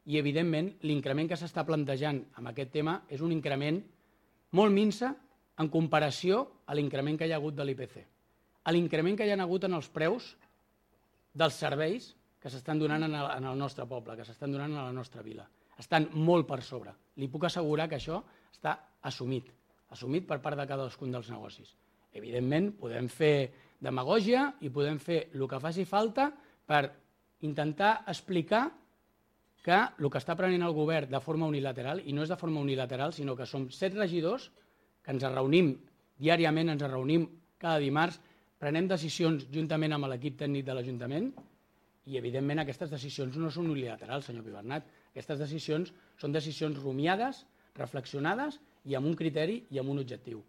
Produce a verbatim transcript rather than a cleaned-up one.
i, evidentment, l'increment que s'està plantejant amb aquest tema és un increment molt minsa en comparació a l'increment que hi ha hagut de l'I P C. A l'increment que hi ha hagut en els preus dels serveis que s'estan donant en el nostre poble, que s'estan donant a la nostra vila. Estan molt per sobre. Li puc assegurar que això està assumit, assumit per part de cadascun dels negocis. Evidentment, podem fer demagògia i podem fer el que faci falta per intentar explicar que el que està prenent el govern de forma unilateral, i no és de forma unilateral, sinó que som set regidors que ens reunim diàriament, ens reunim cada dimarts, prenem decisions juntament amb l'equip tècnic de l'Ajuntament i, evidentment, aquestes decisions no són unilaterals, senyor Pibernat. Aquestes decisions són decisions rumiades, reflexionades i amb un criteri i amb un objectiu.